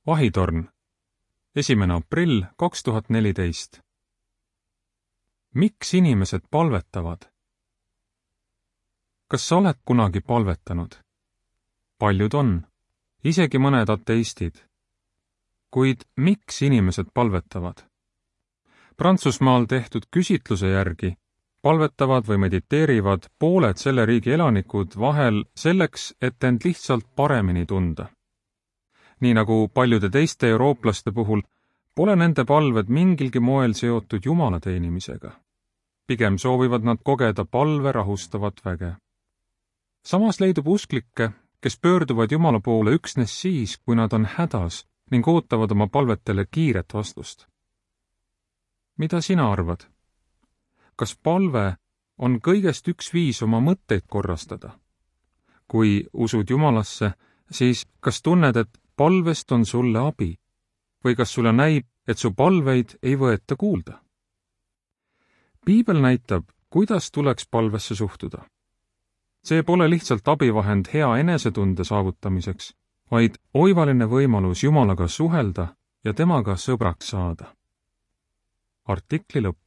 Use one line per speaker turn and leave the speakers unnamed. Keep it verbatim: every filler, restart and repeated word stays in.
Vahitorn, esimene aprill kaks tuhat neliteist. Miks inimesed palvetavad? Kas sa oled kunagi palvetanud? Paljud on, isegi mõned ateistid. Kuid miks inimesed palvetavad? Prantsusmaal tehtud küsitluse järgi palvetavad või mediteerivad pooled selle riigi elanikud vahel selleks, et end lihtsalt paremini tunda. Nii nagu paljude teiste eurooplaste puhul, pole nende palved mingilgi moel seotud Jumala teenimisega. Pigem soovivad nad kogeda palve rahustavat väge. Samas leidub usklikke, kes pöörduvad Jumala poole üksnes siis, kui nad on hädas ning ootavad oma palvetele kiiret vastust. Mida sina arvad? Kas palve on kõigest üks viis oma mõtteid korrastada? Kui usud Jumalasse, siis kas tunned, et palvest on sulle abi? Või kas sulle näib, et su palveid ei võeta kuulda? Piibel näitab, kuidas tuleks palvesse suhtuda. See pole lihtsalt abivahend hea enesetunde saavutamiseks, vaid oivaline võimalus Jumalaga suhelda ja temaga sõbraks saada. Artikli lõpp.